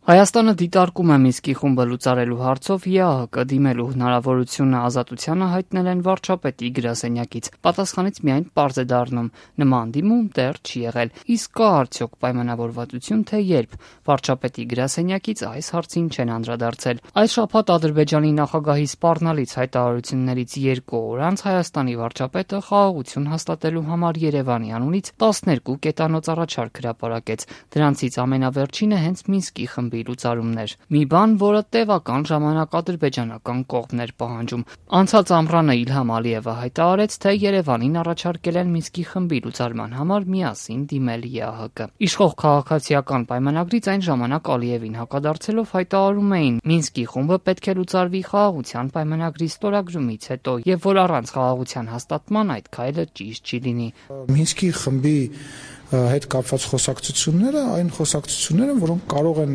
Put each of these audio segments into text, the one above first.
Հայաստանը դիտարկում է Մինսկի խումբը լուծարելու հարցով ԵԱՀԿ դիմելու հնարավորությունը Ազատությանը հայտնել են վարչապետի գրասենյակից։ Պատասխանից միայն պարզ է դառնում՝ նման դիմում դեռ չի եղել։ Իսկ կա արդյոք պայմանավորվածություն, թե երբ։ Վարչապետի գրասենյակից այս հարցին չեն անդրադարձել։ Այս շաբաթ Ադրբեջանի նախագահի սպառնալից հայտարարություններից 2 օր անց Հայաստանի վարչապետը խաղաղություն հաստատելու համար Երևանի անունից 12 կետանոց առաջարկ հրապարակեց։ Դրանցից ամենավերջինը հենց Մինսկի խմբի լուծարումներ։ Մի բան, որը տևական ժամանակ ադրբեջանական կողմն էր պահանջում։ Անցած ամռանը Իլհամ Ալիևը հայտարարեց, թե Երևանին առաջարկել են Մինսկի խմբի լուծարման համար միասին դիմել ԵԱՀԿ։ Իշխող քաղաքացիական պայմանագրից այն ժամանակ Ալիևին հակադարձելով հայտարարում էին՝ Մինսկի խումբը պետք է լուծարվի խաղաղության պայմանագրի ստորագրումից հետո, եւ որ առանց խաղաղության հաստատման այդ քայլը ճիշտ չի լինի։ Մինսկի խմբի հետ կապված խոսակցությունները այն խոսակցությունները, որոնք կարող են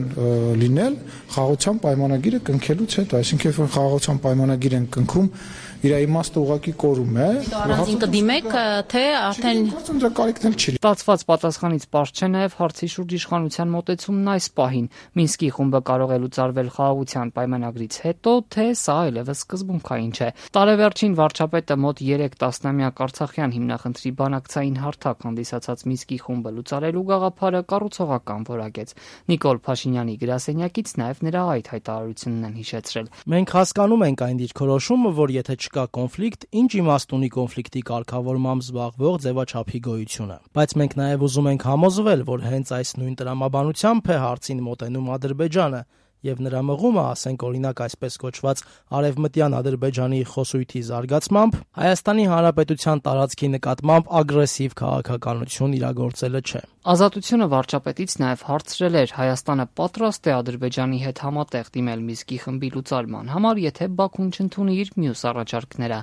լինել խաղաղության պայմանագիրը կնքելուց հետո, այսինքն երբ խաղաղության պայմանագիր են կնքում, իր իմաստը ուղղակի կորում է։ Առանձին կդիմեք, թե արդեն դրա կարիքն էլ չի։ Ստացված պատասխանից պարզ չէ նաև հարցի շուրջ իշխանության մոտեցումն այս պահին։ Մինսկի խումբը կարող է լուծարվել խաղաղության պայմանագրից հետո, թե սա այլևս սկզբունքային չէ։ Տարեվերջին վարչապետը մոտ 3 տասնամյակ արցախյան հիմնախնդրի բանակցային հարթակ հանդիսացած Մինսկի խումբը լուծարելու գաղափարը կառուցողական որակեց։ Նիկոլ Փաշինյանի գրասենյակից նաև նրա այդ հայտարարությունն են հիշեցրել։ Մենք հասկանում ենք այն դիրքորոշումը, որ եթե չկա կոնֆլիկտ, ինչ իմաստ ունի կոնֆլիկտի կարգավորմամբ զբաղվող ձևաչափի գոյությունը։ Բայց մենք նաև ուզում ենք համոզվել, որ հենց այս նույն տրամաբանությամբ է հարցին մոտենում Ադրբեջանը, եւ նրա մղումը, ասենք օրինակ այսպես կոչված արևմտյան Ադրբեջանի խոսույթի զարգացմամբ, Հայաստանի Հանրապետության տարածքի նկատմամբ ագրեսիվ քաղաքականություն իրագործելը չէ։ Ազատությունը վարչապետից նաև հարցրել էր՝ Հայաստանը պատրաստ է Ադրբեջանի հետ համատեղ դիմել Մինսկի խմբի լուծարման համար, եթե Բաքուն չընդունի իր մյուս առաջարկները։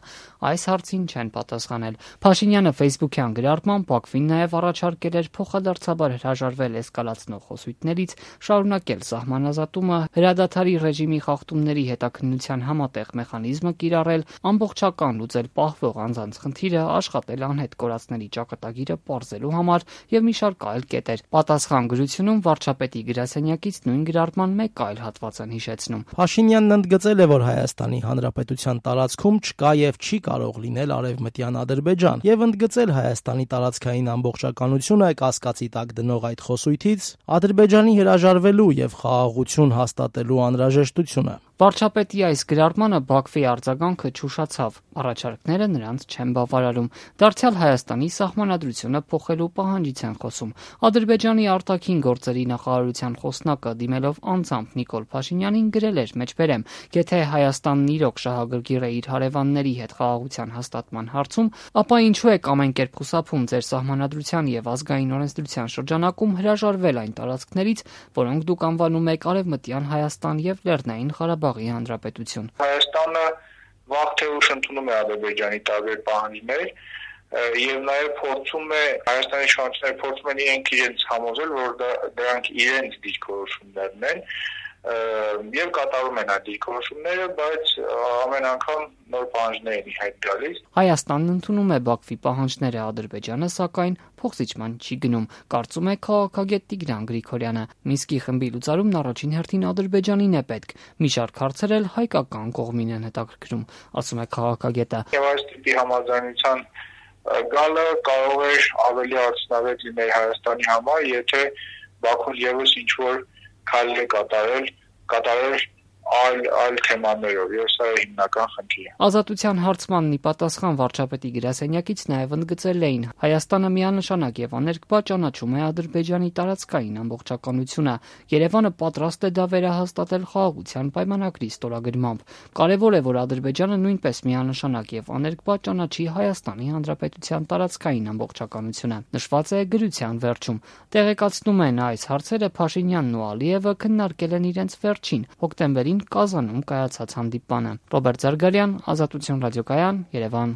Այս հարցին չեն պատասխանել։ Փաշինյանը Facebook-յան գրառմամբ Բաքվին նաև առաջարկել էր փոխադարձաբար հրաժարվել էսկալացնող խոսույթներից, շարունակել սահմանազատումը, հրադադարի ռեժիմի խախտումների հետաքննության համատեղ մեխանիզմը կիրառել, ամբողջական լուծել պահվող անձանց խնդիրը, աշխատել անհետ կորածների ճակատագիրը պարզելու համար եւ մի շարք այլ կետեր։ Պատասխան գրությունում վարչապետի գրասենյակից նույն գրառման մեկ այլ հատված են հիշեցնում։ Փաշինյանն ընդգծել է, որ Հայաստանի Հանրապետության տարածքում չկա եւ չի կարող լինել արևմտյան Ադրբեջան եւ ընդգծել Հայաստանի տարածքային ամբողջականությունը կասկածի տակ դնող այդ խոսույթից Ադրբեջանի հրաժարվելու եւ խաղաղություն հաստատելու անհրաժեշտությունը։ Վարչապետի այս գրառմանը Բաքվի արձագանքը չուշացավ, առաջարկները նրանց չեն բավարարում, դարձյալ Հայաստանի սահմանադրությունը փոխելու պահանջից են խոսում։ Ադրբեջանի արտաքին գործերի նախարարության խոսնակը դիմելով անձամբ Նիկոլ Փաշինյանին գրել էր մեջբերեմ. «Եթե Հայաստանն իրոք շահագրգիռ է իր հարևանների հետ խաղաղության հաստատման հարցում, ապա ինչու եք ամեն կերպ խուսափում ձեր սահմանադրության եւ ազգային օրենսդրության շրջանակում հրաժարվել այն տարածքներից, որոնք դուք անվանում եք Արևմտյան Հայաստան եւ Լեռնային Ղարաբաղի Հանրապետություն»։ Հայաստանը վաղ թե ուշ ընդունում է Ադրբեջանի տարբեր պահանջներ եւ նաեւ փորձում է Հայաստանի իշխանությունները փորձում են իրենց համոզել, որ դրանք իրենց դիրքորոշումներն են եւ կատարում են այդ դիրքորոշումները, բայց ամեն անգամ նոր պահանջներ են հայտ գալիս։ Հայաստանն ընդունում է Բաքվի պահանջները, Ադրբեջանը սակայն փոխզիջման չի գնում, կարծում է քաղաքագետ Տիգրան Գրիգորյանը։ Մինսկի խմբի լուծարումն առաջին հերթին Ադրբեջանին է պետք։ Մի շարք հարցեր էլ հայկական կողմին են հետաքրքրում, ասում է քաղաքագետը։ Եվ այս տիպի համաձայնության գալը կարող է ավելի արդյունավետ լինել Հայաստանի համար, եթե Բաքուն եւս ինչ-որ քայլ է կատարել այլ թեմաներով, եւ սա է հիմնական խնդիրը։ Ազատության հարցմանն ի պատասխան վարչապետի գրասենյակից նաև ընդգծել էին՝ Հայաստանը միանշանակ եւ աներկբա ճանաչում է Ադրբեջանի տարածքային ամբողջականությունը։ Երևանը պատրաստ է դա վերահաստատել խաղաղության պայմանագրի ստորագրմամբ։ Կարևոր է, որ Ադրբեջանը նույնպես միանշանակ եւ աներկբա ճանաչի Հայաստանի Հանրապետության տարածքային ամբողջականությունը։ Նշված է գրության վերջում։ Տեղեկացնում են այս հարցերը Փաշինյանն ու Ալիևը քննարկել են իրենց վերջին հոկտեմբերին Կազանում կայացած հանդիպանը։ Ռոբերտ Զարգարյան, Ազատություն ռադիոկայան, Երևան։